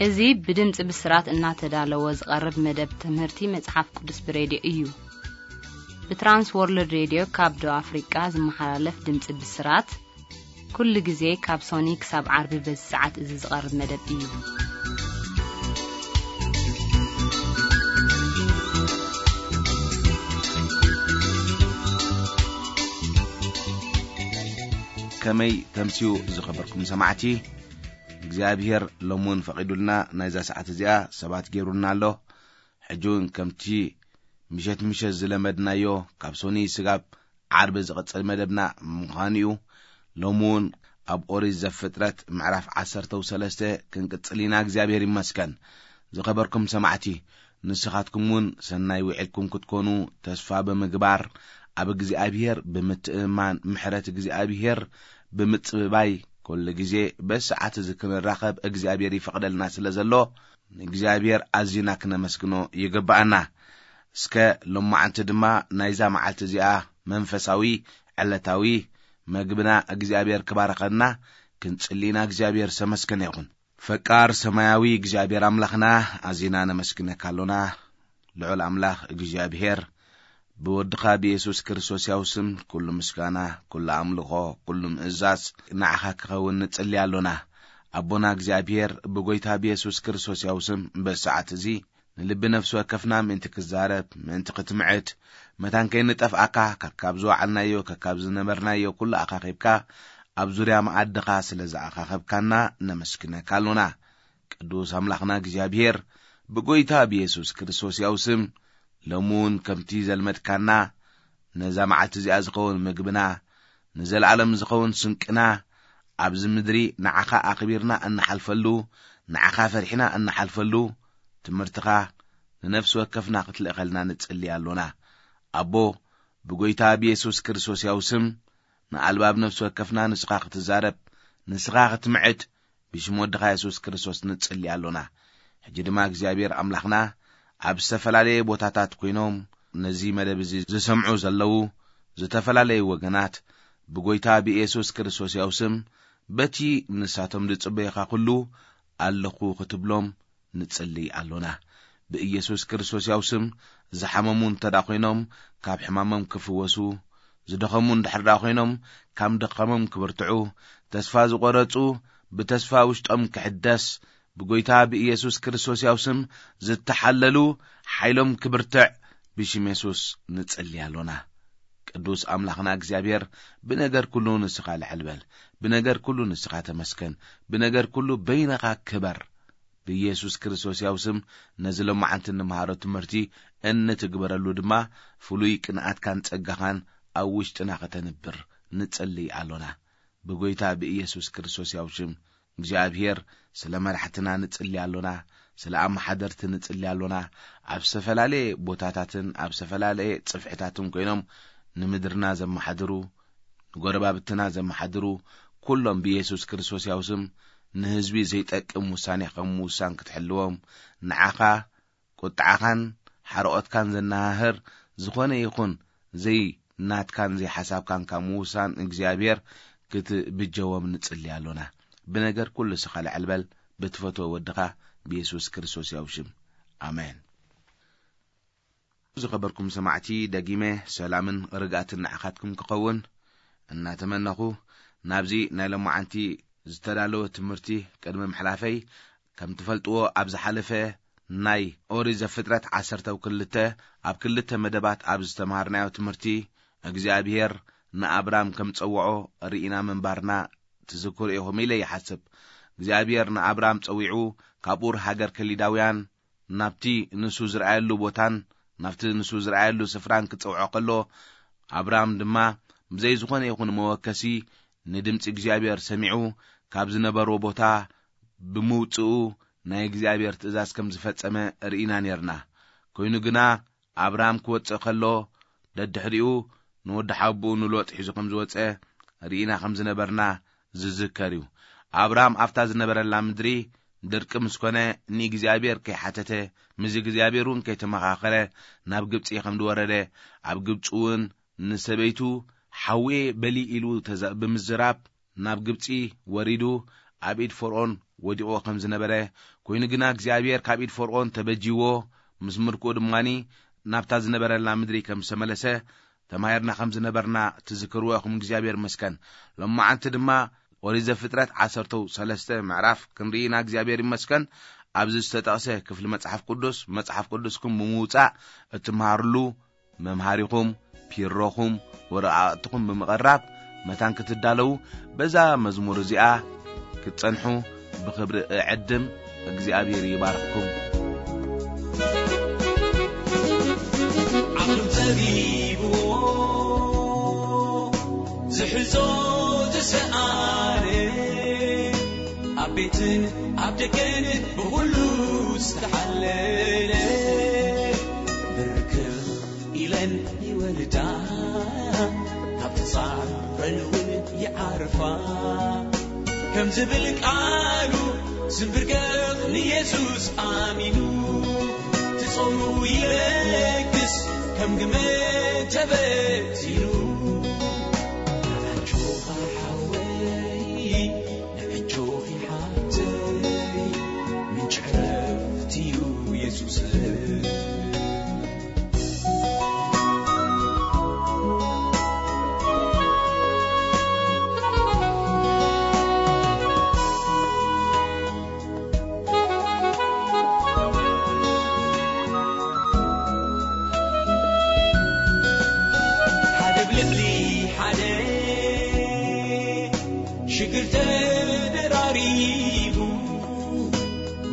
እዚ ብድምፂ ብስራት እናተዳለወ ዝቐርብ መደብ ትምህርቲ መጽሓፍ ቅዱስ ብሬድዮ እዩ። ብትራንስ ወርልድ ሬድዮ ካብ ደቡብ ኣፍሪቃ ዝመሓላለፍ ድምፂ ብስራት፣ ኩሉ ግዜ ካብ ሶኒ ክሳብ ዓርቢ በዚ ሰዓት እዚ ዝቐርብ መደብ እዩ። ከመይ ተምስዩ ዝኸበርኩም ሰማዕቲ፣ እግዚኣብሔር ሎሚ እውን ፈቒዱልና ናይዛ ሰዓት እዚኣ ሰባት ገይሩልና ኣሎ። ሕጂ እውን ከምቲ ምሸት ምሸት ዝለመድናዮ ካብ ሶኒ ስጋብ ዓርቢ ዝቕጽል መደብና ምዃኑ እዩ። ሎሚ እውን ኣብ ኦሪት ዘፍጥረት ምዕራፍ ዓሰርተ ሰለስተ ክንቅጽል ኢና። እግዚኣብሔር ይመስገን። ዝኸበርኩም ሰማዕቲ፣ ንስኻትኩም እውን ሰናይ ውዒልኩም ክትኮኑ ተስፋ ብምግባር፣ ኣብ እግዚኣብሔር ብምትእምማን፣ ምሕረት እግዚኣብሔር ብምጽብባይ፣ ኩሉ ግዜ በሰዓት እዚ ክንራኸብ እግዚኣብሔር ይፈቕደልና ስለ ዘሎ፣ ንእግዚኣብሔር ኣዚና ክነመስግኖ ይግብኣና። እስከ ሎማዓንቲ ድማ ናይዛ መዓልቲ እዚኣ መንፈሳዊ ዕለታዊ መግብና እግዚኣብሔር ክባረኸና ክንጽሊ ኢና። እግዚኣብሔር ዝተመስገነ ይኹን። ፈቃር ሰማያዊ እግዚኣብሔር ኣምላኽና፣ ኣዚና ነመስግነካ ኣሎና። ልዑል ኣምላኽ እግዚኣብሔር፣ ብወድኻ ብየሱስ ክርስቶስ ያው ስም ኩሉ ምስጋና፣ ኩሉ ኣምልኾ፣ ኩሉ ምእዛዝ ንዓኻ ክኸውን ንጽሊ ኣሎና። ኣቦና እግዚኣብሔር፣ ብጎይታ ብየሱስ ክርስቶስ ያው ስም በሰዓት እዚ ንልቢ ነፍሲ ወከፍና ምእንቲ ክዛረብ፣ ምእንቲ ክትምዕድ፣ መታን ከይንጠፍኣካ፣ ከካብ ዝወዓልናዮ፣ ከካብ ዝነበርናዮ ኩሉ ኣኻኺብካ፣ ኣብ ዙርያ መኣድኻ ስለ ዝኣኻኸብካና ነመስግነካ ኣሎና። ቅዱስ ኣምላኽና እግዚኣብሔር፣ ብጎይታ ብየሱስ ክርስቶስ ያው ስም፣ ሎሚ እውን ከምቲ ዘልመድካና፣ ነዛ መዓልቲ እዚኣ ዝኸውን ምግብና፣ ንዘለኣለም ዝኸውን ስንቅና፣ ኣብዚ ምድሪ ንዓኻ ኣኽቢርና እንሓልፈሉ፣ ንዓኻ ፈሪሕና እንሓልፈሉ ትምህርትኻ ንነፍሲ ወከፍና ክትልእኸልና ንጽሊ ኣሎና። ኣቦ፣ ብጎይታ ብየሱስ ክርስቶስ ያው ስም፣ ንኣልባብ ነፍሲ ወከፍና ንስኻ ክትዛረብ፣ ንስኻ ክትምዕድ፣ ብሽም ወድኻ የሱስ ክርስቶስ ንጽሊ ኣሎና። ሕጂ ድማ እግዚኣብሔር ኣምላኽና፣ ኣብ ዝተፈላለየ ቦታታት ኮይኖም ነዚ መደብ እዚ ዝሰምዑ ዘለዉ ዝተፈላለዩ ወገናት፣ ብጎይታ ብየሱስ ክርስቶስ ያው ስም፣ በቲ ንሳቶም ዝጽበዩኻ ኩሉ ኣለኹ ክትብሎም ንጽሊ ኣሎና። ብኢየሱስ ክርስቶስ ያው ስም፣ ዝሓመሙ እንተ ደኣ ኮይኖም፣ ካብ ሕማሞም ክፍወሱ፣ ዝደኸሙ እንድሕር ደኣ ኮይኖም፣ ካብ ድኻሞም ክብርትዑ፣ ተስፋ ዝቖረጹ፣ ብተስፋ ውሽጦም ክሕደስ፣ ብጎይታ ብኢየሱስ ክርስቶስ ያው ስም ዝተሓለሉ፣ ሓይሎም ክብርትዕ፣ ብሽም የሱስ ንጽሊ ኣሎና። ቅዱስ ኣምላኽና እግዚኣብሔር፣ ብነገር ኩሉ ንስኻ ልዕል በል፣ ብነገር ኩሉ ንስኻ ተመስገን፣ ብነገር ኩሉ በይንኻ ክበር። ብኢየሱስ ክርስቶስ ያው ስም፣ ነዚ ሎማዓንቲ እንመሃሮ ትምህርቲ እንትግበረሉ ድማ፣ ፍሉይ ቅንኣትካን ጸጋኻን ኣብ ውሽጥና ከተንብር ንጽሊ ኣሎና። ብጎይታ ብኢየሱስ ክርስቶስ ያው ሽም እግዚኣብሔር፣ ስለ መራሕትና ንጽሊ ኣሎና፣ ስለ ኣመሓደርቲ ንጽሊ ኣሎና። ኣብ ዝተፈላለየ ቦታታትን ኣብ ዝተፈላለየ ጽፍሕታትን ኮይኖም ንምድርና ዘመሓድሩ፣ ንጎረባብትና ዘመሓድሩ፣ ኩሎም ብኢየሱስ ክርስቶስ ያው ስም ንህዝቢ ዘይጠቅም ውሳኔ ከም ምውሳን ክትሕልዎም፣ ንዓኻ ቁጥዓኻን ሓርቖትካን ዘነሃህር ዝኾነ ይኹን ዘይናትካን ዘይሓሳብካን ካብ ምውሳን እግዚኣብሔር ክትብጀዎም ንጽሊ ኣሎና። ብነገር ኩሉ ስኻ ልዕል በል፣ ብትፈትዎ ወድኻ ብየሱስ ክርስቶስ ያው ሽም። ኣሜን። ዝኸበርኩም ሰማዕቲ፣ ደጊመ ሰላምን ርግኣትን ንዓኻትኩም ክኸውን እናተመነኹ፣ ናብዚ ናይ ሎማዓንቲ ዝተዳለወ ትምህርቲ ቅድሚ ምሕላፈይ፣ ከም ትፈልጥዎ፣ ኣብ ዝሓለፈ ናይ ኦሪት ዘፍጥረት ዓሰርተ ክልተ ኣብ ክልተ መደባት ኣብ ዝተምሃርናዮ ትምህርቲ፣ እግዚኣብሔር ንኣብራም ከም ጸውዖ ርኢና ምንባርና ትዝክሩ ኢኹም ኢለ ይሓስብ። እግዚኣብሔር ንኣብራም ጸዊዑ፣ ካብ ኡር ሃገር ከሊዳውያን ናብቲ ንሱ ዝረኣየሉ ቦታን ናብቲ ንሱ ዝረኣየሉ ስፍራን ክጸውዖ ከሎ፣ ኣብራም ድማ ብዘይ ዝኾነ ይኹን መወከሲ ንድምጺ እግዚኣብሔር ሰሚዑ ካብ ዝነበሮ ቦታ ብምውጽኡ ናይ እግዚኣብሔር ትእዛዝ ከም ዝፈጸመ ርኢና ኔርና። ኮይኑ ግና ኣብራም ክወጽእ ከሎ ደድሕሪኡ ንወዲ ሓቡኡ ንሎጥ ሒዙ ከም ዝወጸ ርኢና ከም ዝነበርና ዝዝከር እዩ። ኣብራም ኣብታ ዝነበረላ ምድሪ ድርቂ ምስ ኮነ ንእግዚኣብሔር ከይሓተተ፣ ምስ እግዚኣብሔር እውን ከይተመኻኸረ ናብ ግብጺ ከም ዝወረደ፣ ኣብ ግብጺ እውን ንሰበይቱ ሓውየ በሊ ኢሉ ተዛ-፣ ብምዝራብ ናብ ግብጺ ወሪዱ ኣብ ኢድ ፈርኦን ወዲቑዎ ከም ዝነበረ፣ ኮይኑ ግና እግዚኣብሔር ካብ ኢድ ፈርዖን ተበጂዎ፣ ምስ ምርኮኡ ድማኒ ናብታ ዝነበረላ ምድሪ ከም ዝተመለሰ ተማሂርና ከም ዝነበርና ትዝክርዎ ኢኹም። እግዚኣብሔር ይመስገን። ሎማዓንቲ ድማ ኦሪት ዘፍጥረት ዓሰርተ ሰለስተ ምዕራፍ ክንርኢ ኢና። እግዚኣብሔር ይመስገን። ኣብዚ ዝተጠቕሰ ክፍሊ መጽሓፍ ቅዱስ፣ መጽሓፍ ቅዱስኩም ብምውጻእ እትመሃርሉ መምሃሪኹም፣ ፒሮኹም፣ ወረቓቕትኹም ብምቕራብ መታን ክትዳለዉ በዛ መዝሙር እዚኣ ክትጸንሑ ብኽብሪ እዕድም። እግዚኣብሔር ይባርኽኩም። ዓቕሉ ጸቢብዎ ዝሕዞ ዝሰኣነ፣ ኣብ ቤትን ኣብ ደገን ብኹሉ ዝተሓለለ፣ ብርክኽ ኢለን ይወልዳ፣ ካብ ተጻረን እውን ይዓርፋ። ከም ዝብል ቃሉ ስንብርገኽ ንየሱስ ኣሚኑ፣ ትጾሙ ይለግስ ከም ግመ ተበቲኑ። ኣጆኻ ሓወይ፣ ንዕጆኺ ሓብተይ፣ ምንጪ ዕረፍቲ እዩ የሱስ። ሓደ ብልዕሊ ሓደ ሽግር ተደራሪቡ፣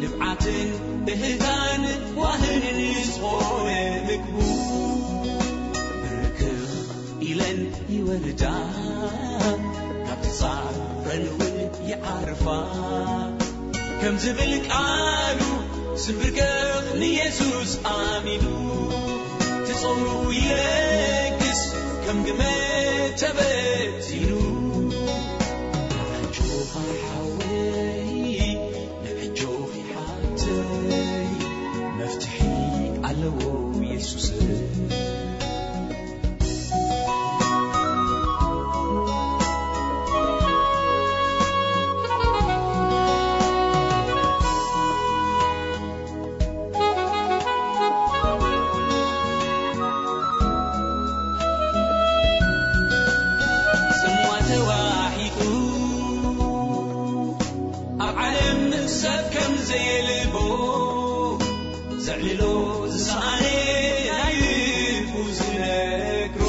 ንብዓትን እህታን ዋህንን ዝኾነ ምግቡ፣ ብርክኽ ኢለን ይወልዳ፣ ካብ ተጻረን እውን ይዓርፋ። ከም ዝብል ቃሉ ስንብርገኽ ንየሱስ ኣሚኑ፣ ትጾሙ ይለግስ ከም ግመ ተበቲኑ። ኣጆኻ ሓወይ፣ ንዕጆኺ ሓብተይ፣ መፍትሒ ኣለዎ የሱስ። ጽምዋ ተዋሒጡ ኣብ ዓለም ሰብ ከም ዘየልቦ፣ ዘዕልሎ ዝሰኣነ ናይ ልቡ ዝነግሮ፣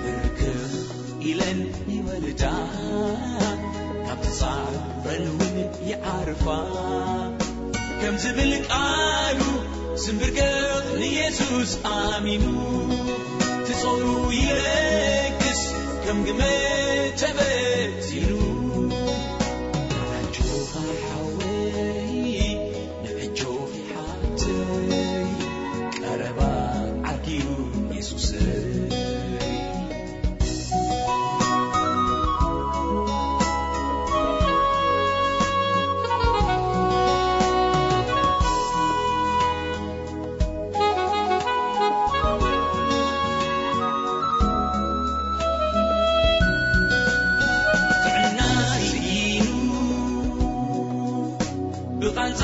ብርክኽ ኢለን ይወልዳ፣ ካብ ተጻረን እውን ይዓርፋ። ከም ዝብል ቃሉ ስንብርገኽ ንየሱስ ኣሚኑ፣ ትጾሩ ይለግስ ከም ግመ ተበቲኑ። ኣጆኻ ሓወይ፣ ንዕጆኺ ሓብተይ፣ ቀረባ ዓርኪ እዩ የሱሰይ። ጥዕና ስኢኑ ብቓንዛ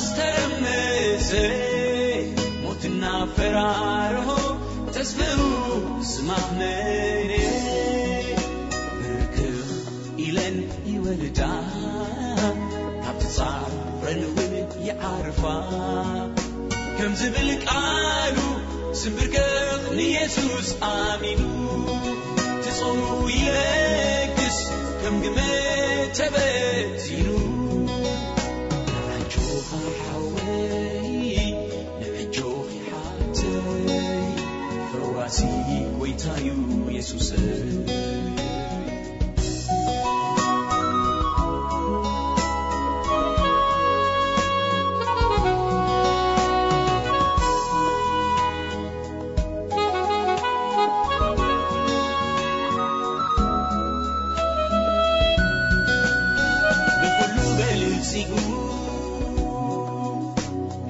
ዝተረመሰ፣ ሞትና ፈራርሆ ተስፍኡ ዝማመነ፣ ብርክኽ ኢለን ይወልዳ፣ ካብ ተጻረን እውን ይዓርፋ። ከም ዝብል ቃሉ ስንብርገኽ ንየሱስ ኣሚኑ፣ ትጾሙ ይለግስ ከም ግመ ተበቲኑ። ኣጆኻ ሓወይ፣ ንዕጆኺ ሓብተይ፣ ፈዋሲ ጎይታዩ የሱሰይ። ብኹሉ በልጺጉ፣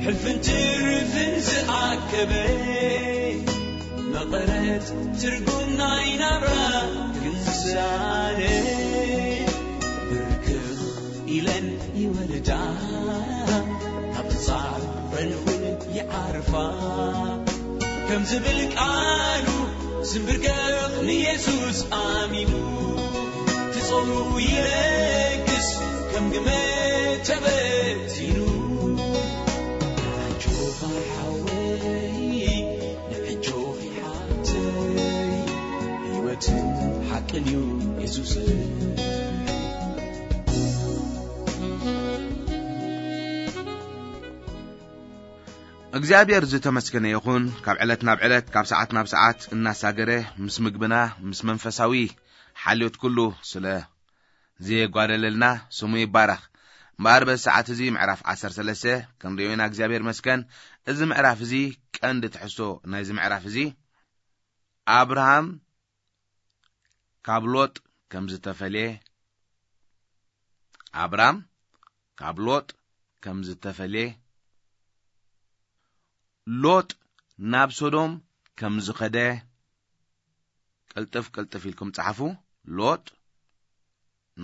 ሕልፍን ትርፍን ዝኣከበ፣ መቐረት ትርጉም ናይ ናብራ ግን ዝሰኣነ፣ ብርክኽ ኢለን ይለግስ ከም ግመ ተበቲኑ። ኣጆኻ ሓወይ፣ ንዕጆኺ ሓብተይ፣ ህይወትን ሓቅን እዩ የሱስ። እግዚኣብሔር ዝተመስገነ ይኹን። ካብ ዕለት ናብ ዕለት፣ ካብ ሰዓት ናብ ሰዓት እናሳገረ ምስ ምግብና፣ ምስ መንፈሳዊ ሓልዮት ኩሉ ስለ ዘየጓደለልና ስሙ ይባረኽ። እምበኣር በዚ ሰዓት እዚ ምዕራፍ ዓሰርተ ሰለስተ ክንሪኦ ኢና። እግዚኣብሔር መስገን። እዚ ምዕራፍ እዚ ቀንዲ ትሕዝቶ ናይዚ ምዕራፍ እዚ ኣብርሃም ካብ ሎጥ ከም ዝተፈልየ፣ ኣብራም ካብ ሎጥ ከም ዝተፈልየ፣ ሎጥ ናብ ሶዶም ከም ዝኸደ፣ ቅልጥፍ ቅልጥፍ ኢልኩም ጸሓፉ። ሎጥ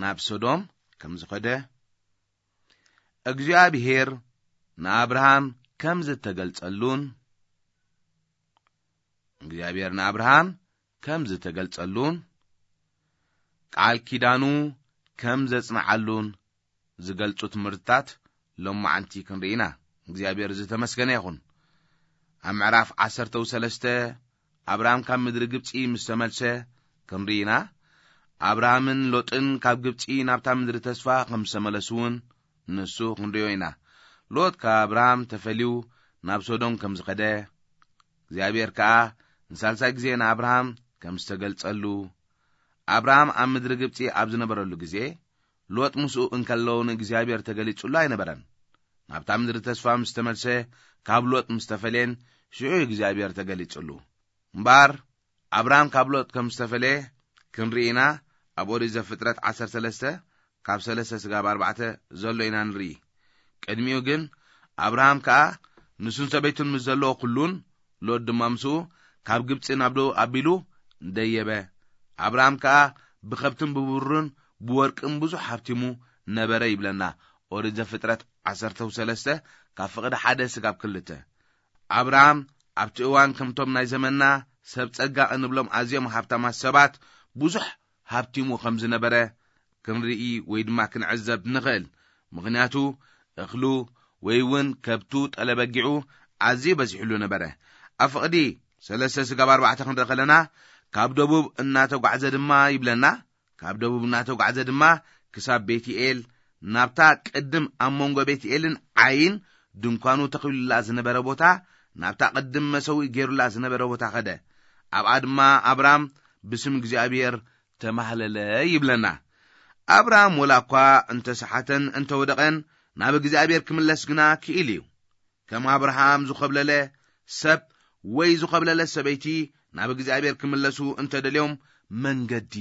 ናብ ሶዶም ከም ዝኸደ፣ እግዚኣብሔር ንኣብርሃም ከም ዝተገልጸሉን፣ እግዚኣብሔር ንኣብርሃም ከም ዝተገልጸሉን፣ ቃል ኪዳኑ ከም ዘጽንዓሉን ዝገልጹ ትምህርትታት ሎማዓንቲ ክንርኢ ኢና። እግዚኣብሔር ዝተመስገነ ይኹን። ኣብ ምዕራፍ ዓሰርተ ሰለስተ ኣብርሃም ካብ ምድሪ ግብጺ ምስ ተመልሰ ክንርኢ ኢና። ኣብርሃምን ሎጥን ካብ ግብጺ ናብታ ምድሪ ተስፋ ከም ዝተመለሱ እውን ንሱ ክንርእዮ ኢና። ሎጥ ካብ ኣብርሃም ተፈልዩ ናብ ሶዶም ከም ዝኸደ፣ እግዚኣብሔር ከኣ ንሳልሳይ ግዜ ንኣብርሃም ከም ዝተገልጸሉ፣ ኣብርሃም ኣብ ምድሪ ግብጺ ኣብ ዝነበረሉ ግዜ፣ ሎጥ ምስኡ እንከለዉ ንእግዚኣብሔር ተገሊጹሉ ኣይነበረን። ናብታ ምድሪ ተስፋ ምስ ተመልሰ፣ ካብ ሎጥ ምስ ተፈልየን፣ ሽዑ እግዚኣብሔር ተገሊጹሉ። እምበኣር፣ ኣብርሃም ካብ ሎጥ ከም ዝተፈልየ ክንርኢ ኢና። ኣብ ኦሪት ዘፍጥረት ዓሰርተ ሰለስተ ካብ ሰለስተ ስጋብ ኣርባዕተ ዘሎ ኢና ንርኢ። ቅድሚኡ ግን ኣብርሃም ከኣ ንሱን ሰበይቱን ምስ ዘለዎ ኩሉን፣ ሎጥ ድማ ምስኡ ካብ ግብጺ ናብ ደቡብ ኣቢሉ ደየበ። ኣብርሃም ከኣ ብኸብትን ብብሩርን ብወርቅን ብዙሕ ሃብቲሙ ነበረ ይብለና ኦሪት ዘፍጥረት ዓሰርተ ሰለስተ ካብ ፍቕዲ ሓደ ስጋብ ክልተ። ኣብርሃም ኣብቲ እዋን ከምቶም ናይ ዘመንና ሰብ ጸጋ እንብሎም ኣዝዮም ሃብታማት ሰባት ብዙሕ ሃብቲሙ ከም ዝነበረ ክንርኢ ወይ ድማ ክንዕዘብ ንኽእል። ምኽንያቱ እኽሉ ወይ እውን ከብቱ ጠለበጊዑ ኣዝዩ በዚሕሉ ነበረ። ኣብ ፍቕዲ ሰለስተ ስጋብ ኣርባዕተ ክንርኢ ከለና፣ ካብ ደቡብ እናተጓዕዘ ድማ ይብለና፣ ካብ ደቡብ እናተጓዕዘ ድማ ክሳብ ቤትኤል፣ ናብታ ቅድም ኣብ መንጎ ቤትኤልን ዓይን ድንኳኑ ተኺሉላ ዝነበረ ቦታ፣ ናብታ ቅድም መሰውኢ ገይሩላ ዝነበረ ቦታ ኸደ። ኣብኣ ድማ ኣብራም ብስም እግዚኣብሔር ተማህለለ ይብለና። ኣብራም ወላ እኳ እንተሰሓተን እንተወደቐን፣ ናብ እግዚኣብሔር ክምለስ ግና ክኢል እዩ። ከም ኣብርሃም ዝኾብለለ ሰብ ወይ ዝኾብለለ ሰበይቲ ናብ እግዚኣብሔር ክምለሱ እንተደልዮም መንገዲ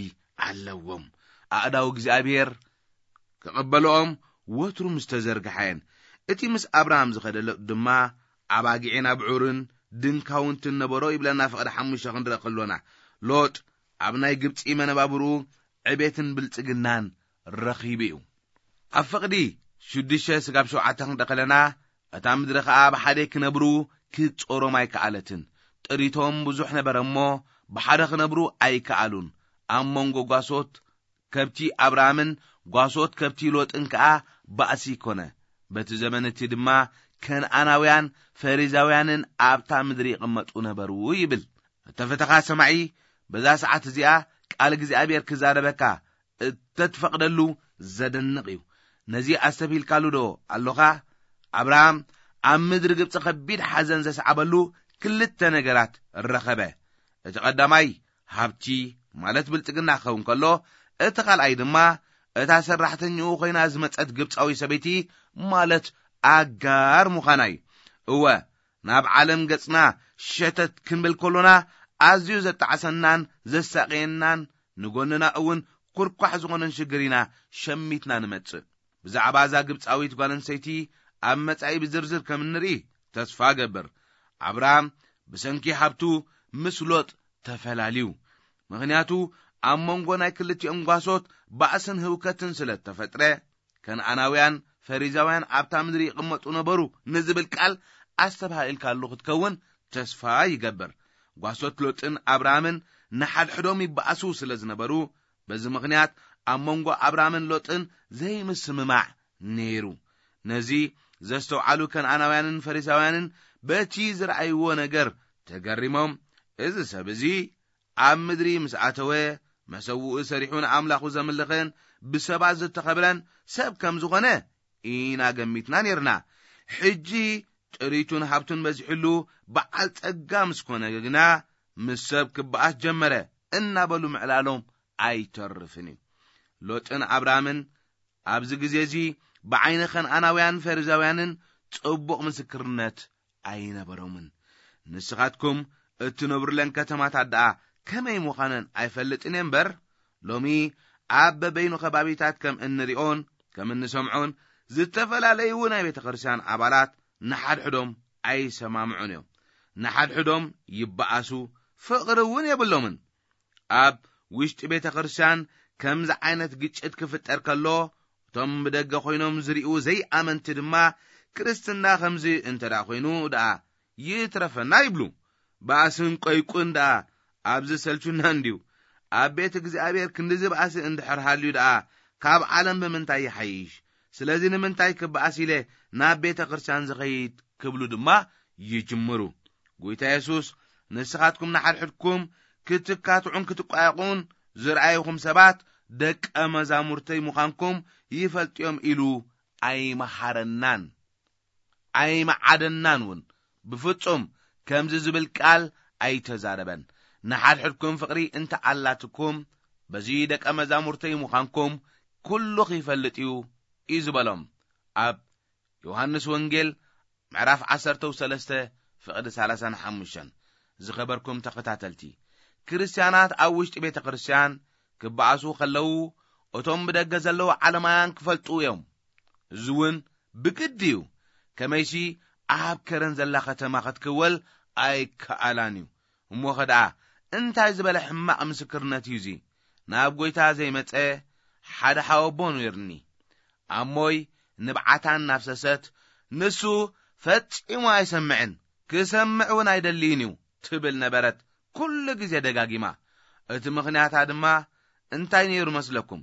ኣለዎም። ኣእዳው እግዚኣብሔር ክቕበልኦም ወትሩ ምስ ተዘርግሓ እየን። እቲ ምስ ኣብርሃም ዝኸደ ሎጥ ድማ ኣባጊዕን ኣብዑርን ድንካውንትን ነበሮ ይብለና ፍቕዲ ሓሙሽተ ክንርኢ ከሎና። ሎጥ ኣብ ናይ ግብጺ መነባብርኡ ዕቤትን ብልጽግናን ረኺቡ እዩ። ኣብ ፍቕዲ ሽዱሽተ ስጋብ ሸውዓተ ክንርኢ ከለና፣ እታ ምድሪ ኸኣ ብሓደ ክነብሩ ክትጾሮም ኣይከኣለትን። ጥሪቶም ብዙሕ ነበረ እሞ፣ ብሓደ ክነብሩ ኣይከኣሉን። ኣብ መንጎ ጓሶት ከብቲ ኣብርሃምን ጓሶት ከብቲ ሎጥን ከኣ ባእሲ ኮነ። በቲ ዘመን እቲ ድማ ከነኣናውያን ፈሪዛውያንን ኣብታ ምድሪ ይቕመጡ ነበሩ ይብል። እተፈተኻ ሰማዒ፣ በዛ ሰዓት እዚኣ ቃል እግዚኣብሔር ክዛረበካ እተትፈቕደሉ ዘደንቕ እዩ። ነዚ ኣስተብሂልካሉ ዶ ኣሎኻ? ኣብርሃም ኣብ ምድሪ ግብጺ ከቢድ ሓዘን ዘስዓበሉ ክልተ ነገራት ረኸበ። እቲ ቀዳማይ ሃብቲ፣ ማለት ብልጽግና ክኸውን ከሎ፣ እቲ ካልኣይ ድማ እታ ሰራሕተኛኡ ኮይና ዝመጸት ግብጻዊ ሰበይቲ፣ ማለት ኣጋር ምዃና እዩ። እወ፣ ናብ ዓለም ገጽና ሸተት ክንብል ከሎና፣ ኣዝዩ ዘጣዕሰናን ዘሳቕየናን፣ ንጎንና እውን ኩርኳሕ ዝኾነን ሽግር ኢና ሸሚትና ንመጽእ። ብዛዕባ እዛ ግብጻዊት ጓል ኣንስተይቲ ኣብ መጻኢ ብዝርዝር ከም እንርኢ ተስፋ እገብር። ኣብርሃም ብሰንኪ ሃብቱ ምስ ሎጥ ተፈላልዩ። ምኽንያቱ ኣብ መንጎ ናይ ክልቲኦም ጓሶት ባእስን ህውከትን ስለ እተፈጥረ፣ ከነኣናውያን ፈሪዛውያን ኣብታ ምድሪ ይቕመጡ ነበሩ ንዝብል ቃል ኣስተብሃልካሉ ክትከውን ተስፋ ይገብር። ጓሶት ሎጥን ኣብርሃምን ንሓድሕዶም ይበኣሱ ስለ ዝነበሩ፣ በዚ ምኽንያት ኣብ መንጎ ኣብራምን ሎጥን ዘይምስምማዕ ነይሩ። ነዚ ዘስተውዓሉ ከነኣናውያንን ፈሪሳውያንን በቲ ዝረኣይዎ ነገር ተገሪሞም፣ "እዚ ሰብ እዚ ኣብ ምድሪ ምስ ኣተወ፣ መሰውኡ ሰሪሑ ንኣምላኹ ዘምልኽን ብሰባት ዝተኸብረን ሰብ ከም ዝኾነ ኢና ገሚትና ነይርና። ሕጂ ጥሪቱን ሃብቱን በዚሕሉ በዓል ጸጋ ምስ ኮነ ግና፣ ምስ ሰብ ክበኣስ ጀመረ" እናበሉ ምዕላሎም ኣይተርፍን እዩ። ሎጥን ኣብራምን ኣብዚ ግዜ እዚ ብዓይኒ ከነኣናውያን ፈሪዛውያንን ጽቡቕ ምስክርነት ኣይነበሮምን። ንስኻትኩም እትነብሩለን ከተማታት ደኣ ከመይ ምዃነን ኣይፈልጥን እየ እምበር፣ ሎሚ ኣብ በበይኑ ከባቢታት ከም እንሪኦን ከም እንሰምዖን ዝተፈላለዩ ናይ ቤተ ክርስቲያን ኣባላት ንሓድሕዶም ኣይሰማምዑን እዮም። ንሓድሕዶም ይበኣሱ፣ ፍቕሪ እውን የብሎምን። ኣብ ውሽጢ ቤተ ክርስቲያን ከምዚ ዓይነት ግጭት ክፍጠር ከሎ፣ እቶም ብደገ ኮይኖም ዝርእዩ ዘይኣመንቲ ድማ፣ "ክርስትና ከምዚ እንተ ደኣ ኮይኑ ደኣ ይትረፈና" ይብሉ። ባእስን ቆይቁን ደኣ ኣብዚ ሰልቹና እንድዩ። ኣብ ቤት እግዚኣብሔር ክንድዚ ባእሲ እንድሕር ሃልዩ ደኣ፣ ካብ ዓለም ብምንታይ ይሓይሽ? ስለዚ ንምንታይ ክበኣስ ኢለ ናብ ቤተ ክርስቲያን ዝኸይድ? ክብሉ ድማ ይጅምሩ። ጎይታ የሱስ፣ "ንስኻትኩም ንሓድሕድኩም ክትካትዑን ክትቋየቑን ዝረኣይኹም ሰባት ደቀ መዛሙርተይ ምዃንኩም ይፈልጥዮም" ኢሉ ኣይመሃረናን ኣይመዓደናን እውን። ብፍጹም ከምዚ ዝብል ቃል ኣይተዛረበን። "ንሓድሕድኩም ፍቕሪ እንተ ኣላትኩም፣ በዚ ደቀ መዛሙርተይ ምዃንኩም ኩሉ ኺፈልጥ እዩ" እዩ ዝበሎም። ኣብ ዮሃንስ ወንጌል ምዕራፍ ዓሰርተ ሰለስተ ፍቕዲ ሰላሳን ሓሙሽተን። ዝኸበርኩም ተኸታተልቲ፣ ክርስትያናት ኣብ ውሽጢ ቤተ ክርስቲያን ክበኣሱ ከለዉ፣ እቶም ብደገ ዘለዉ ዓለማውያን ክፈልጡ እዮም። እዚ እውን ብግዲ እዩ። ከመይሲ ኣብ ከረን ዘላ ከተማ ክትክወል ኣይከኣላን እዩ። እሞ ኸ ደኣ እንታይ ዝበለ ሕማቕ ምስክርነት እዩ እዚ? ናብ ጐይታ ዘይመጸ ሓደ ሓወቦ ነይሩኒ። ኣሞይ ንብዓታ እናፍሰሰት፣ "ንሱ ፈጺሙ ኣይሰምዕን፣ ክሰምዕ እውን ኣይደልይን እዩ" ትብል ነበረት፣ ኩሉ ግዜ ደጋጊማ። እቲ ምኽንያታ ድማ እንታይ ነይሩ መስለኩም?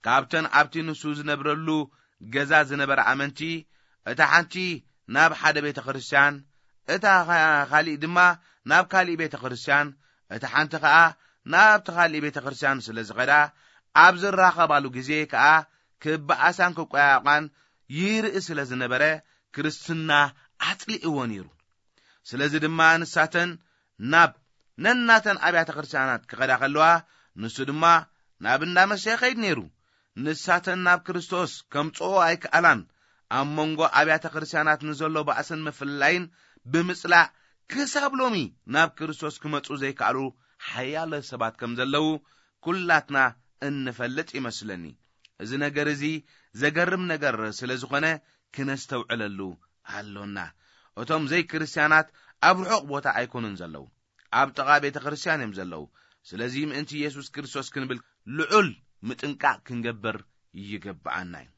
ካብተን ኣብቲ ንሱ ዝነብረሉ ገዛ ዝነበራ ኣመንቲ፣ እታ ሓንቲ ናብ ሓደ ቤተ ክርስቲያን፣ እታ ኻ-፣ ካሊእ ድማ ናብ ካሊእ ቤተ ክርስቲያን፣ እታ ሓንቲ ኸኣ ናብቲ ካሊእ ቤተ ክርስቲያን ስለ ዝኸዳ፣ ኣብ ዝራኸባሉ ግዜ ከኣ ክበኣሳን ክቆያየቋን ይርኢ ስለ ዝነበረ፣ ክርስትና ኣጽሊእዎ ነይሩ። ስለዚ ድማ ንሳተን ናብ ነናተን ኣብያተ ክርስቲያናት ክኸዳ ከለዋ፣ ንሱ ድማ ናብ እንዳ መሰ ይኸይድ ነይሩ። ንሳተን ናብ ክርስቶስ ከምጽኦ ኣይከኣላን። ኣብ መንጎ ኣብያተ ክርስቲያናት ንዘሎ ባእስን ምፍልላይን ብምጽላእ፣ ክሳብ ሎሚ ናብ ክርስቶስ ክመጹ ዘይከኣሉ ሓያለ ሰባት ከም ዘለዉ ኩላትና እንፈልጥ ይመስለኒ። እዚ ነገር እዚ ዘገርም ነገር ስለ ዝኾነ፣ ክነስተውዕለሉ ኣሎና። እቶም ዘይክርስትያናት ኣብ ርሑቕ ቦታ ኣይኮኑን ዘለዉ፣ ኣብ ጥቓ ቤተ ክርስቲያን እዮም ዘለዉ። ስለዚ ምእንቲ የሱስ ክርስቶስ ክንብል ልዑል ምጥንቃቕ ክንገብር ይግብኣና እዩ።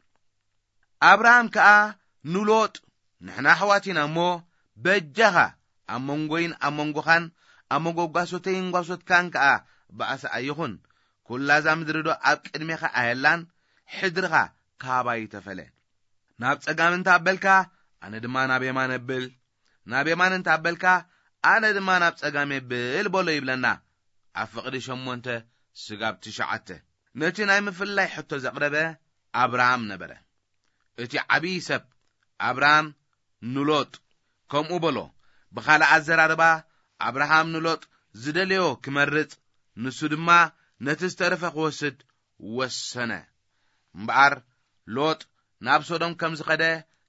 ኣብርሃም ከኣ ንሎጥ፣ "ንሕና ኣሕዋት ኢና እሞ፣ በጃኻ ኣብ መንጎይን ኣብ መንጎኻን ኣብ መንጎ ጓሶተይን ጓሶትካን ከኣ ባእሲ ኣይኹን። ኩላ እዛ ምድሪ ዶ ኣብ ቅድሜኻ ኣየላን? ሕድርኻ ካባይ ተፈለ። ናብ ጸጋም እንተ ኣበልካ፣ ኣነ ድማ ናብ የማን እብል፣ ናብ የማን እንተ ኣበልካ፣ ኣነ ድማ ናብ ጸጋም የብል" በሎ ይብለና። ኣብ ፍቕዲ ሸሞንተ ስጋብ ትሽዓተ። ነቲ ናይ ምፍልላይ ሕቶ ዘቕረበ ኣብርሃም ነበረ። እቲ ዓብዪ ሰብ ኣብርሃም ንሎጥ ከምኡ በሎ። ብኻልእ ኣዘራርባ፣ ኣብርሃም ንሎጥ ዝደለዮ ክመርጽ፣ ንሱ ድማ ነቲ ዝተረፈ ክወስድ ወሰነ። እምበኣር ሎጥ ናብ ሶዶም ከም ዝኸደ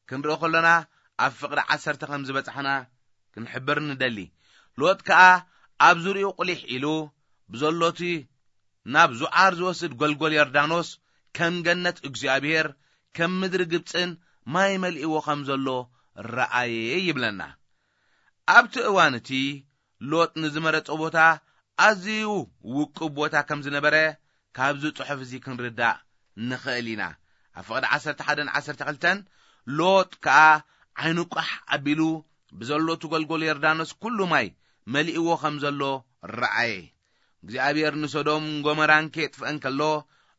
ክንርኢ ከሎና፣ ኣብ ፍቕዲ ዓሰርተ ከም ዝበጻሕና ክንሕብር ንደሊ። ሎጥ ከኣ ኣብ ዙርያኡ ቁሊሕ ኢሉ ብዘሎ እቲ ናብ ዙዓር ዝወስድ ጐልጐል ዮርዳኖስ ከም ገነት እግዚኣብሔር፣ ከም ምድሪ ግብጽን ማይ መሊእዎ ከም ዘሎ ረኣየ ይብለና። ኣብቲ እዋን እቲ ሎጥ ንዝመረጾ ቦታ ኣዝዩ ውቁብ ቦታ ከም ዝነበረ ካብዚ ጽሑፍ እዚ ክንርዳእ ንኽእል ኢና። ኣብ ፍቕዲ ዓሰርተ ሓደን ዓሰርተ ክልተን፣ ሎጥ ከኣ ዓይኑ ቋሕ ኣቢሉ ብዘሎ እቲ ጐልጐል ዮርዳኖስ ኩሉ ማይ መሊእዎ ከም ዘሎ ረኣየ። እግዚኣብሔር ንሶዶም ጎመራን ከየጥፍአን ከሎ፣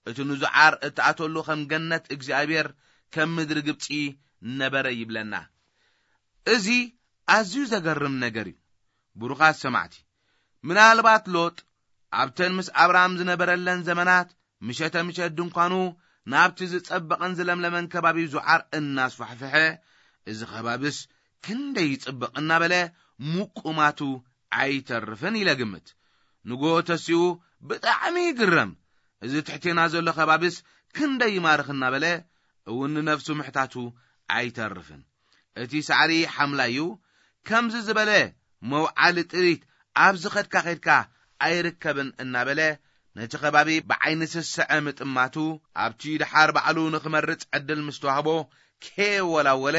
እቲ ንዙዓር እትኣተሉ ከም ገነት እግዚኣብሔር ከም ምድሪ ግብጺ ነበረ ይብለና። እዚ ኣዝዩ ዘገርም ነገር እዩ። ብሩኻት ሰማዕቲ፣ ምናልባት ሎጥ ኣብተን ምስ ኣብርሃም ዝነበረለን ዘመናት ምሸተ ምሸት ድንኳኑ ናብቲ ዝጸበቐን ዝለምለመን ከባቢ ዙዓር እናስፋሕፍሐ፣ "እዚ ከባብስ ክንደይ ይጽብቕ" እናበለ ምቁማቱ ኣይተርፍን ኢለ ግምት። ንግሆ ተሲኡ ብጣዕሚ ይግረም። "እዚ ትሕቴና ዘሎ ከባብስ ክንደይ ይማርኽ" እናበለ እውን ንነፍሱ ምሕታቱ ኣይተርፍን። "እቲ ሳዕሪ ሓምላይ እዩ፣ ከምዚ ዝበለ መውዓሊ ጥሪት ኣብዚ ኸድካ ኸድካ ኣይርከብን" እናበለ ነቲ ከባቢ ብዓይኒ ስስዐ ምጥማቱ፣ ኣብቲ ድሓር ባዕሉ ንኽመርጽ ዕድል ምስ ተዋህቦ፣ ከየወላወለ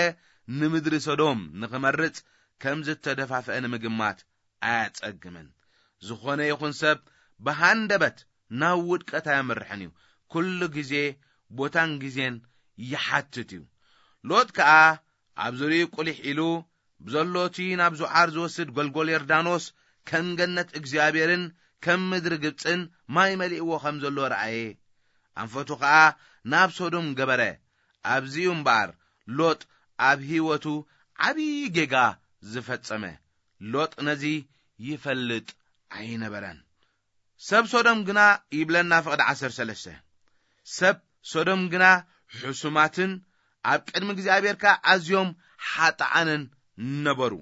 ንምድሪ ሰዶም ንኽመርጽ ከም ዝተደፋፍአ ንምግማት ኣያጸግምን። ዝኾነ ይኹን ሰብ ብሃንደበት ናብ ውድቀት ኣየምርሕን እዩ። ኩሉ ግዜ ቦታን ግዜን ይሓትት እዩ። ሎጥ ከኣ ኣብ ዙርይኡ ቁሊሕ ኢሉ ብዘሎ እቲ ናብ ዙዓር ዝወስድ ጎልጎል ዮርዳኖስ ከም ገነት እግዚኣብሔርን ከም ምድሪ ግብጽን ማይ መሊእዎ ከም ዘሎ ረኣየ። ኣንፈቱ ከኣ ናብ ሶዶም ገበረ። ኣብዚ እዩ እምበኣር ሎጥ ኣብ ህይወቱ ዓብዪ ጌጋ ዝፈጸመ። ሎጥ ነዚ ይፈልጥ ኣይነበረን። ሰብ ሶዶም ግና ይብለና ፍቕዲ ዓሰርተ ሰለስተ፣ ሰብ ሶዶም ግና ሕሱማትን ኣብ ቅድሚ እግዚኣብሔር ከኣ ኣዝዮም ሓጥኣንን ነበሩ።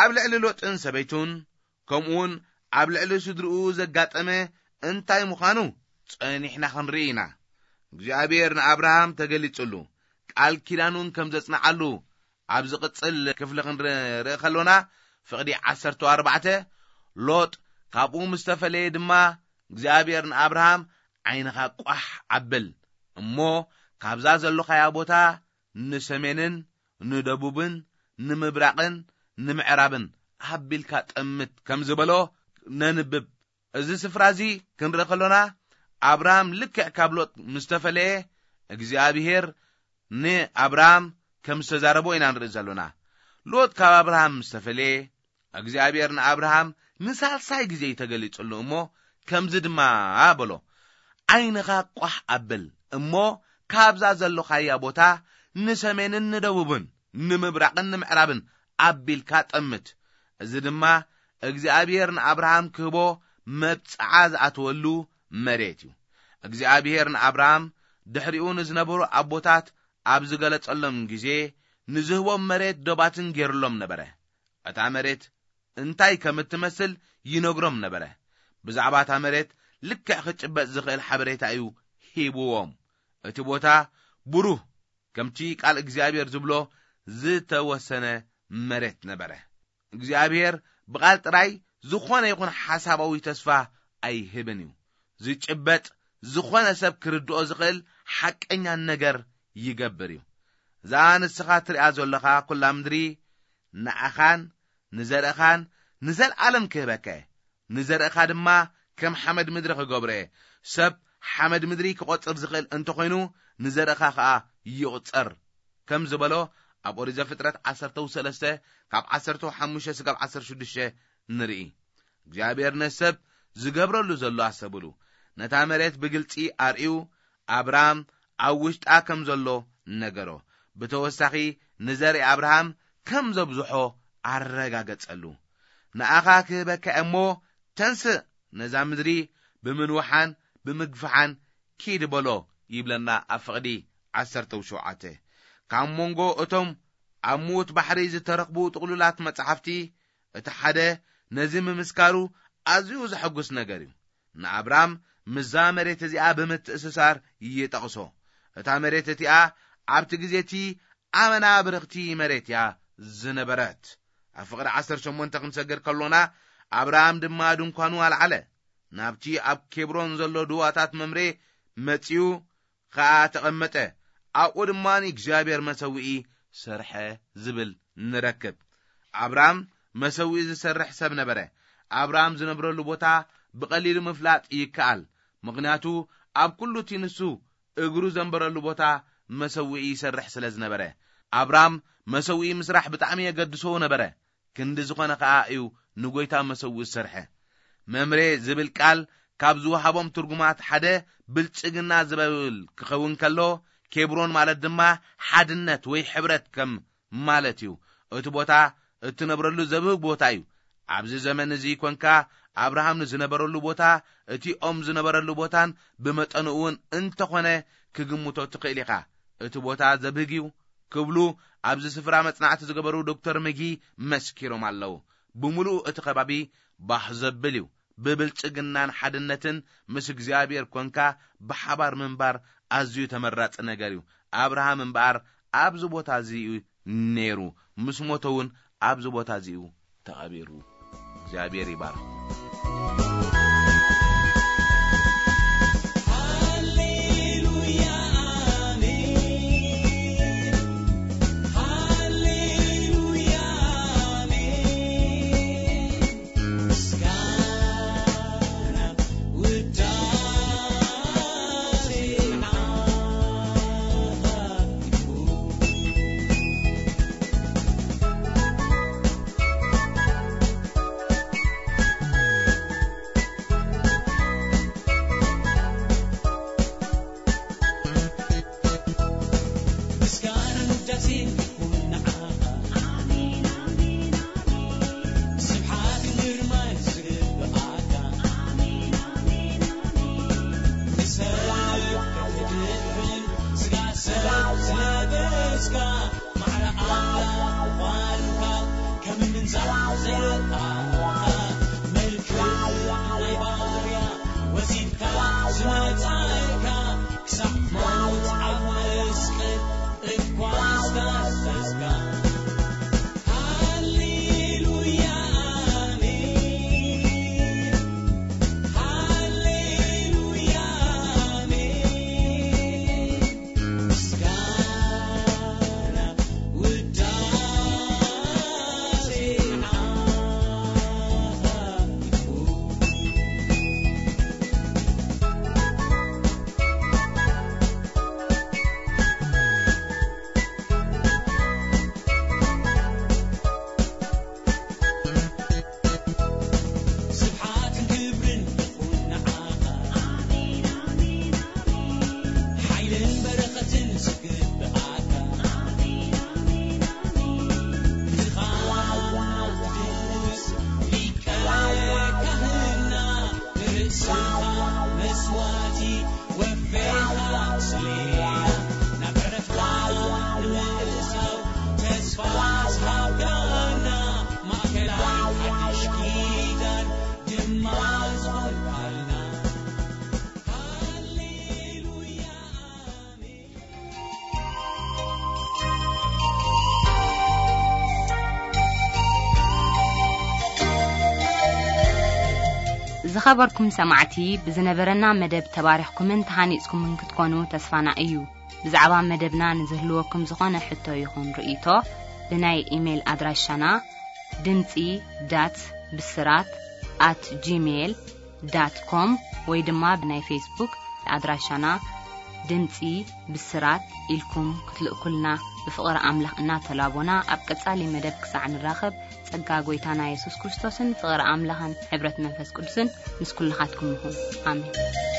ኣብ ልዕሊ ሎጥን ሰበይቱን ከምኡውን ኣብ ልዕሊ ስድርኡ ዘጋጠመ እንታይ ምዃኑ ጸኒሕና ክንርኢ ኢና። እግዚኣብሔር ንኣብርሃም ተገሊጹሉ፣ ቃል ኪዳኑን ከም ዘጽንዓሉ ኣብ ዝቕጽል ክፍሊ ክንርኢ ከሎና፣ ፍቕዲ ዓሰርተ ኣርባዕተ፣ ሎጥ ካብኡ ምስ ተፈለየ ድማ እግዚኣብሔር ንኣብርሃም፣ "ዓይንኻ ቋሕ ኣብል እሞ ካብዛ ዘለኻያ ቦታ ንሰሜንን ንደቡብን ንምብራቕን ንምዕራብን ኣቢልካ ጠምት" ከም ዝበሎ ነንብብ። እዚ ስፍራ እዚ ክንርኢ ከሎና፣ ኣብርሃም ልክዕ ካብ ሎጥ ምስ ተፈለየ፣ እግዚኣብሔር ንኣብርሃም ከም ዝተዛረቦ ኢና ንርኢ ዘሎና። ሎጥ ካብ ኣብርሃም ምስ ተፈለየ፣ እግዚኣብሔር ንኣብርሃም ንሳልሳይ ግዜ እዩ ተገሊጹሉ እሞ፣ ከምዚ ድማ በሎ፣ "ዓይንኻ ቋሕ ኣብል እሞ ካብዛ ዘለኻያ ቦታ ንሰሜንን ንደቡብን ንምብራቕን ንምዕራብን ኣቢልካ ጠምት። እዚ ድማ እግዚኣብሔር ንኣብርሃም ክህቦ መብጽዓ ዝኣተወሉ መሬት እዩ።" እግዚኣብሔር ንኣብርሃም ድሕሪኡ ንዝነበሩ ኣቦታት ኣብ ዝገለጸሎም ግዜ፣ ንዝህቦም መሬት ዶባትን ገይሩሎም ነበረ። እታ መሬት እንታይ ከም እትመስል ይነግሮም ነበረ። ብዛዕባ እታ መሬት ልክዕ ክጭበጥ ዝኽእል ሓበሬታ እዩ ሂብዎም። እቲ ቦታ ብሩህ፣ ከምቲ ቃል እግዚኣብሔር ዝብሎ፣ ዝተወሰነ መሬት ነበረ። እግዚኣብሔር ብቓል ጥራይ ዝኾነ ይኹን ሓሳባዊ ተስፋ ኣይህብን እዩ። ዝጭበጥ፣ ዝኾነ ሰብ ክርድኦ ዝኽእል ሓቀኛ ነገር ይገብር እዩ። እዛ ንስኻ ትሪኣ ዘለኻ ኩላ ምድሪ ንኣኻን ንዘርእኻን ንዘለኣለም ክህበካ እየ። ንዘርእኻ ድማ ከም ሓመድ ምድሪ ክገብሮ እየ። ሰብ ሓመድ ምድሪ ክቖጽር ዝኽእል እንተኾይኑ፣ ንዘርእኻ ኸኣ ይቑጸር፣ ከም ዝበሎ ኣብ ኦሪት ዘፍጥረት ዓሰርተ ሰለስተ ካብ ዓሰርተ ሓሙሽተ ስጋብ ዓሰርተ ሽዱሽተ ንርኢ። እግዚኣብሔር ነቲ ሰብ ዝገብረሉ ዘሎ ኣሰብሉ፣ ነታ መሬት ብግልጺ ኣርእዩ፣ ኣብራም ኣብ ውሽጣ ከም ዘሎ ነገሮ። ብተወሳኺ፣ ንዘርኢ ኣብርሃም ከም ዘብዝሖ ኣረጋገጸሉ። "ንኣኻ ክህበካ እሞ፣ ተንስእ፣ ነዛ ምድሪ ብምንውሓን ብምግፍሓን ኪድ" በሎ ይብለና ኣብ ፍቕዲ ዓሰርተ ሸውዓተ። ካብ መንጎ እቶም ኣብ ምዉት ባሕሪ ዝተረኽቡ ጥቕሉላት መጻሕፍቲ፣ እቲ ሓደ ነዚ ምምስካሩ ኣዝዩ ዘሐጉስ ነገር እዩ። ንኣብራም ምስዛ መሬት እዚኣ ብምትእስሳር ይጠቕሶ። እታ መሬት እቲኣ ኣብቲ ግዜ እቲ ኣመና ብርኽቲ መሬት እያ ዝነበረት። ኣብ ፍቕዲ ዓሰርተ ሸሞንተ ክንሰግር ከሎና፣ ኣብርሃም ድማ ድንኳኑ ኣልዓለ፣ ናብቲ ኣብ ኬብሮን ዘሎ ድዋታት መምሬ መጺኡ ኸኣ ተቐመጠ፣ ኣብኡ ድማ ንእግዚኣብሔር መሰውኢ ሰርሐ ዝብል ንረክብ። ኣብርሃም መሰውኢ ዝሰርሕ ሰብ ነበረ። ኣብርሃም ዝነብረሉ ቦታ ብቐሊሉ ምፍላጥ ይከኣል፣ ምኽንያቱ ኣብ ኩሉ እቲ ንሱ እግሩ ዘንበረሉ ቦታ መሰውኢ ይሰርሕ ስለ ዝነበረ። ኣብርሃም መሰውኢ ምስራሕ ብጣዕሚ የገድሶ ነበረ። ክንዲ ዝኾነ ኸኣ እዩ ንጎይታ መሰውኢ ዝሰርሐ። መምሬ ዝብል ቃል ካብ ዝወሃቦም ትርጉማት ሓደ ብልጽግና ዝብል ክኸውን ከሎ፣ ኬብሮን ማለት ድማ ሓድነት ወይ ሕብረት ከም ማለት እዩ። እቲ ቦታ እትነብረሉ ዘብህግ ቦታ እዩ። ኣብዚ ዘመን እዚ ኮንካ ኣብርሃም ንዝነበረሉ ቦታ፣ እቲ ኦም ዝነበረሉ ቦታን ብመጠኑ እውን እንተኾነ ክግምቶ ትኽእል ኢኻ። እቲ ቦታ ዘብህግ እዩ ክብሉ ኣብዚ ስፍራ መጽናዕቲ ዝገበሩ ዶክተር መጊ መስኪሮም ኣለዉ። ብምሉኡ እቲ ከባቢ ባህ ዘብል እዩ። ብብልጽግናን ሓድነትን ምስ እግዚኣብሔር ኮንካ ብሓባር ምንባር ኣዝዩ ተመራጺ ነገር እዩ። ኣብርሃም እምበኣር ኣብዚ ቦታ እዚ እዩ ነይሩ። ምስ ሞተ እውን ኣብዚ ቦታ እዚ እዩ ተቐቢሩ። እግዚኣብሔር ይባርኽ። ሃሌሉያ፣ ኣሜን። ሃሌሉያ፣ ኣሜን። ምስጋና ውዳሴ ንዓኻ ይኹን። ምስጋናን ውዳሴን ይኹን ንዓኻ። ኣሜን፣ ኣሜን፣ ኣሜን። ስብሓትን ግርማን ዝግብኣካ። ኣሜን፣ ኣሜን፣ ኣሜን። ንሰብ ክትድሕን ስጋ ሰብ ዝለበስካ፣ ማዕረ ኣምላኽ ምዃንካ ከም ምንዛር ዘየጣዕመ፣ መልክዕ ናይ ባርያ ወሲድካ ዝመጻእካ፣ ክሳብ ሞት ኣብ መስቀል እኳ ዝተኸስካ። ሃሌሉያ፣ ኣሜን። ሃሌሉያ፣ ኣሜን። ምስጋና ውዳሴ ንዓኻ ይኹን። ስብሓትን ክብርን ይኹን ንዓኻ። ኣሜን፣ ኣሜን፣ ኣሜን። ሓይልን በረኸትን ዝግብኣካ። ኣሜን፣ ኣሜን፣ ኣሜን። ንዝኻና ቅዱስ ሊቀ ካህንና፣ ንርእስኻ መስዋዕቲ ወፌኻ ስሌና፣ ናብ ዕረፍታ ንምእታው ተስፋ ዝሃብካና፣ ማእከላይ ሓድሽ ኪዳን ድማ ዝኾንካልና። ሃሌሉያ፣ ኣሜን። ዝኸበርኩም ሰማዕቲ፣ ብዝነበረና መደብ ተባሪኽኩምን ተሃኒጽኩምን ክትኮኑ ተስፋና እዩ። ብዛዕባ መደብና ንዝህልወኩም ዝኾነ ሕቶ ይኹን ርእይቶ፣ ብናይ ኢሜይል ኣድራሻና ድምጺ ዳት ብስራት ኣት ጂሜይል ዳት ኮም ወይ ድማ ብናይ ፌስቡክ ኣድራሻና ድምጺ ብስራት ኢልኩም ክትልእኩልና ብፍቕሪ ኣምላኽ እናተላቦና፣ ኣብ ቀጻሊ መደብ ክሳዕ ንራኸብ፣ ጸጋ ጐይታና የሱስ ክርስቶስን ፍቕሪ ኣምላኽን ሕብረት መንፈስ ቅዱስን ምስ ኩልኻትኩም ይኹን። ኣሜን።